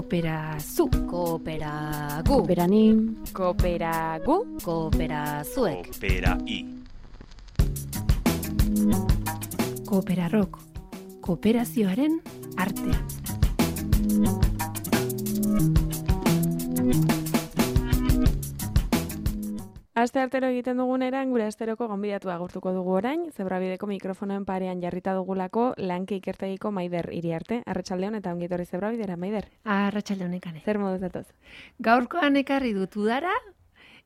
Kooperazu. Kooperagu. Kooperanim. Kooperagu. Kooperazuek. Kooperai. Kooperarok. Kooperazioaren artea. Aste artero egiten duguneran, gure asteroko gonbidatua agurtuko dugu orain, Zebrabideko mikrofonoen parean jarrita dugulako Lanki ikertegiko Maider Iriarte. Arratsaldeon eta ongi etorri Zebrabidera, Maider. Arratsaldeon ekane. Zer moduz datoz? Gaurkoan ekarri dut udara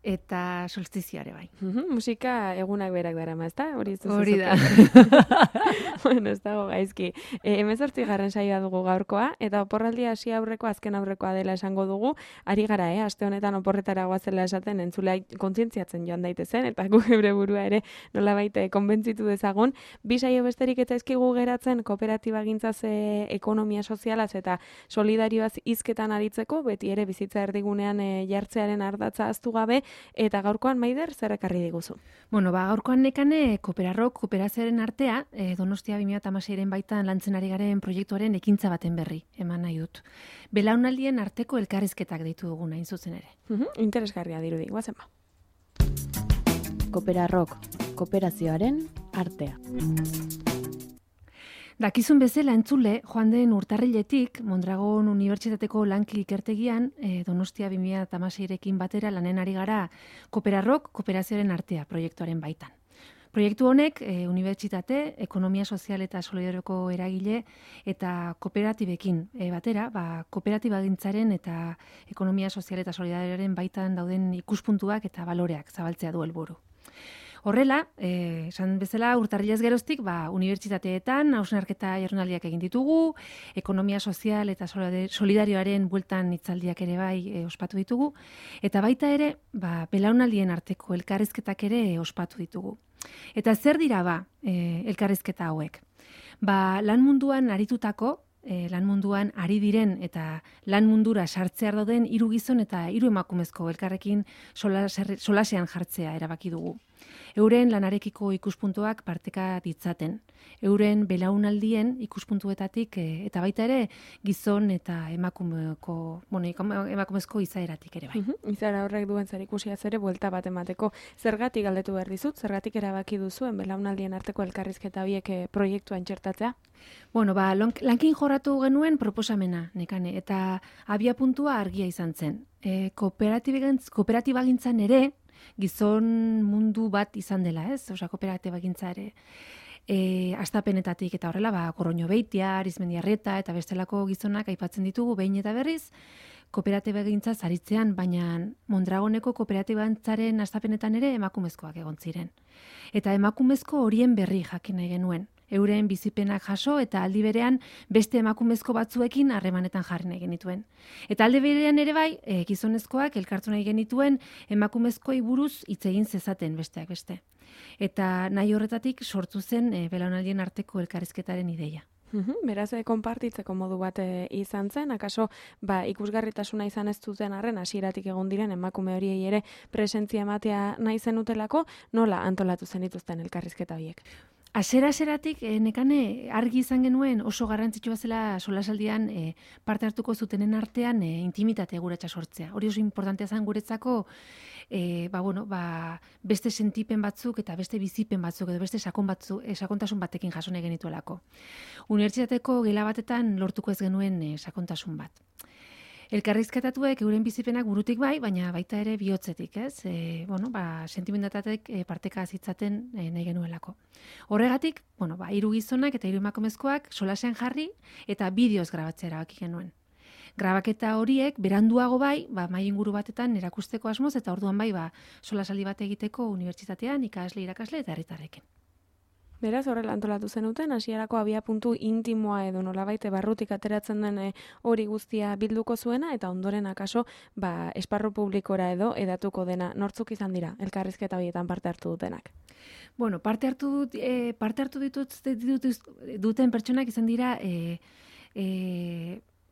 eta solstizioare bai. Musika egunak berak darama, ezta? Hori da. Bueno, ez dago gaizki. 18. saioa dugu gaurkoa, eta oporraldia hasi aurreko azken aurrekoa dela esango dugu. Ari gara, aste honetan oporretara goazela esaten entzulea kontzientziatzen joan daitezen, eta gu geure burua ere nolabait konbentzitu dezagun. Bi saio besterik eta ezkigu geratzen kooperatiba gintzaz ekonomia sozialaz eta solidarioaz hizketan aritzeko, beti ere bizitza erdigunean jartzearen ardatza ahaztu gabe. Eta gaurkoan, Maider, zer ekarri diguzu? Bueno, gaurkoan nekane kooperarok kooperazioaren artea, Donostia 2016 baitan lantzen ari garen proiektuaren ekintza baten berri, eman nahi dut. Belaunaldien arteko elkarrizketak deitu dugu hain zuzen ere. Interesgarria dirudi, guazen ba. Kooperarok. Kooperazioaren artea. Dakizun bezala entzule, joan den urtarriletik, Mondragon Unibertsitateko Lanki ikertegian, Donostia 2016rekin batera lanen ari gara Kooperarok Kooperazioaren artea proiektuaren baitan. Proiektu honek, unibertsitate, ekonomia sozial eta solidarioko eragile eta kooperatibekin batera, kooperatiba gintzaren eta ekonomia sozial eta solidarioaren baitan dauden ikuspuntuak eta baloreak zabaltzea du helburu. Horrela, esan bezala urtarrilez geroztik, unibertsitateetan hausnarketa jardunaldiak egin ditugu, ekonomia sozial eta solidarioaren bueltan hitzaldiak ere bai ospatu ditugu, eta baita ere, belaunaldien arteko elkarrizketak ere ospatu ditugu. Eta zer dira elkarrizketa hauek? Lan munduan aritutako, lan munduan ari diren eta lan mundura sartzear dauden 3 gizon eta 3 emakumezko elkarrekin solasean jartzea erabaki dugu. Euren lanarekiko ikuspuntuak parteka ditzaten. Euren belaunaldien ikuspuntuetatik eta baita ere gizon eta emakumezko izaeratik ere bai. Izaera horrek duen zerikusiaz ere buelta bat emateko. Zergatik galdetu behar dizut, zergatik erabaki duzuen belaunaldien arteko elkarrizketa biek proiektuan txertatzea? Bueno, lankin jorratu genuen proposamena, nekane, eta abia puntua argia izan zen. Kooperatiba gintzan ere, gizon mundu bat izan dela, ez? Osea, kooperatiba gintza ere astapenetatik eta horrela, Gorroño Beitia, Arizmendiarreta eta bestelako gizonak aipatzen ditugu behin eta berriz, kooperatiba gintza zaritzean, baina Mondragoneko kooperatiba gintzaren astapenetan ere emakumezkoak egon ziren. Eta emakumezko horien berri jakin nahi genuen. Euren bizipenak jaso eta aldi berean beste emakumezko batzuekin harremanetan jarri nahi genituen. Eta aldi berean ere bai, gizonezkoak elkartu nahi genituen emakumezkoei buruz hitz egin zezaten besteak beste. Eta nahi horretatik sortu zen belaunaldien arteko elkarrizketaren ideia. Beraz, konpartitzeko modu bat izan zen, akaso ikusgarritasuna izan ez duten arren hasieratik egon diren emakume horiei ere presentzia ematea nahi zenutelako, nola antolatu zenituzten elkarrizketa horiek? Hasieratik nekane argi izan genuen oso garrantzitsua zela solasaldian parte hartuko zutenen artean intimitate guretza sortzea. Hori oso importantea zen guretzako beste sentipen batzuk eta beste bizipen batzuk edo beste sakontasun batekin jaso nahi genituelako. Unibertsitateko gela batetan lortuko ez genuen sakontasun bat. Elkarrizketatuek euren bizipenak burutik bai, baina baita ere bihotzetik, ez? Sentimentatek parteka zitzaten nahi genuelako. Horregatik, 3 gizonak eta 3 emakumezkoak solasean jarri eta bideoz grabatzea erabaki genuen. Grabaketa horiek beranduago bai, mahai inguru batetan erakusteko asmoz eta orduan bai, solasaldi bat egiteko unibertsitatean irakasle eta herritarrekin. Beraz, horrela antolatu zenuten, hasierako abia puntu intimoa edo nolabait barrutik ateratzen den hori guztia bilduko zuena, eta ondoren akaso esparru publikora edo edatuko dena. Nortzuk izan dira, elkarrizketa horietan parte hartu dutenak? Bueno, parte hartu duten pertsonak izan dira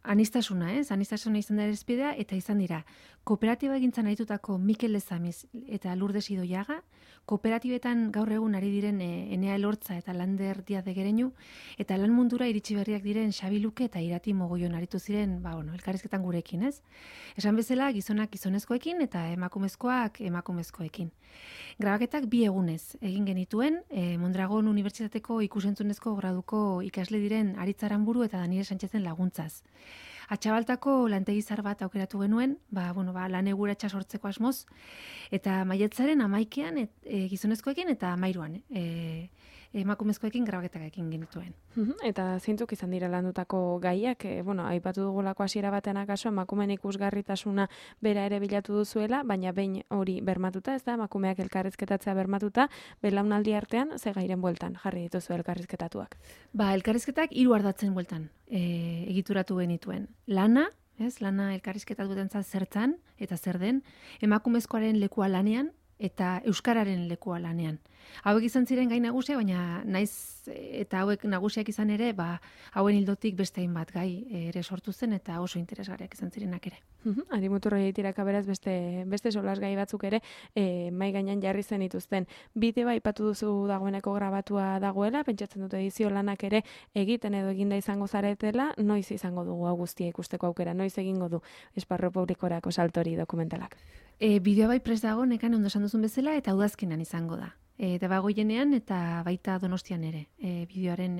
anistasuna izan da errespidea, eta izan dira, kooperatiba egintzan aritutako Mikel Lezamiz eta Lourdes Idoiaga, kooperatibetan gaur egun ari diren Enea Elortza eta Lander Diaz de Gereñu, eta lan mundura iritsi berriak diren Xabi Luke eta Irati Mogoion aritu ziren, elkarrizketan gurekin, ez? Esan bezala, gizonak gizonezkoekin eta emakumezkoak emakumezkoekin. Grabaketak 2 egunez egin genituen, Mondragon Unibertsitateko ikusentzunezko graduko ikasle diren Aritz Aranburu eta Daniel Sánchezen laguntzaz. Atxabaltako lantegizar bat aukeratu genuen, lan eguratsa sortzeko asmoz, eta maiatzaren 11ean gizonezkoekin eta 13ean emakumezkoekin grabaketak egin genituen. Eta zeintzuk izan dira landutako gaiak, aipatu dugulako hasiera batean akaso emakumeen ikusgarritasuna bera ere bilatu duzuela, baina behin hori bermatuta, ez da, emakumeak elkarrizketatzea bermatuta, belaunaldi artean ze gairen bueltan jarri dituzu elkarrizketatuak. Elkarrizketak 3 ardatzen bueltan egituratu genituen. Lana elkarrizketatuetan zertzan eta zer den, emakumezkoaren lekua lanean, eta euskararen lekua lanean. Hauek izan ziren gai nagusia, baina naiz eta hauek nagusiak izan ere, hauen ildotik beste hainbat gai ere sortu zen eta oso interesgarriak izan zirenak ere. Arimuturro tiraka beraz beste solas gai batzuk ere mai gainean jarri zen dituzten. Bideo aipatu duzu dagoeneko grabatua dagoela, pentsatzen dute edizio lanak ere egiten edo eginda izango zaretela, noiz izango dugu hau guztia ikusteko aukera, noiz egingo du esparru publikorako saltori dokumentalak. Bideo bai prest dago, nekan ondo esan duzun bezala, eta udazkenan izango da. Debagoienean eta baita Donostian ere, bideoaren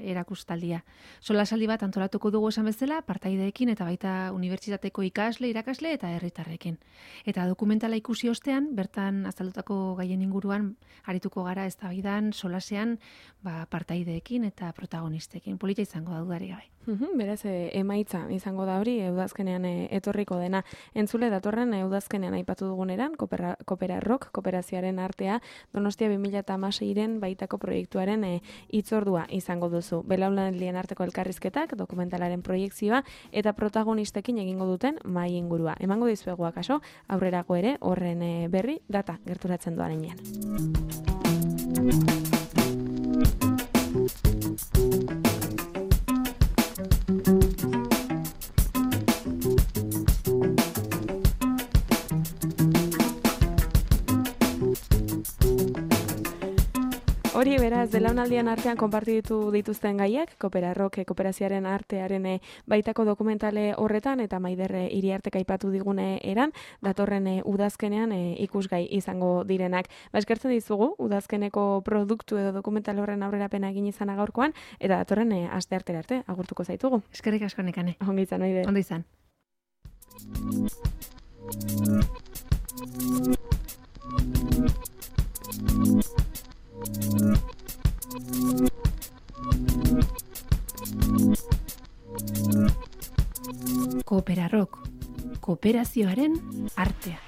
erakustaldia. Solasaldi bat antolatuko dugu esan bezala, partaideekin eta baita unibertsitateko ikasle, irakasle eta herritarrekin. Eta dokumentala ikusi ostean, bertan azaldutako gaien inguruan, arituko gara eztabaidan, solasean, partaideekin eta protagonistekin. Polita izango da dudarik gabe. Beraz, emaitza izango da hori, udazkenean etorriko dena. Entzule datorren udazkenean aipatu duguneran, Kooperarrok, kooperazioaren artea, Donostia 2016-ren baitako proiektuaren hitzordua izango duzu. Belaunaldien arteko elkarrizketak, dokumentalaren proiekzioa eta protagonistekin egingo duten mahai ingurua. Emango dizuegu akaso, aurrerago ere horren berri data gerturatzen doan heinean. Hori beraz, belaunaldien artean konpartitu dituzten gaiak, Kooperarrok kooperazioaren artearen baitako dokumentale horretan eta Maider Iriartek aipatu digune eran, datorren udazkenean ikusgai izango direnak. Eskertzen dizugu, udazkeneko produktu edo dokumental horren aurrerapena egin izana gaurkoan, eta datorren asteartera arte, agurtuko zaitugu. Eskerrik asko nekane. Ongi izan, Maider. Ondo izan. Kooperarrok, kooperazioaren artea.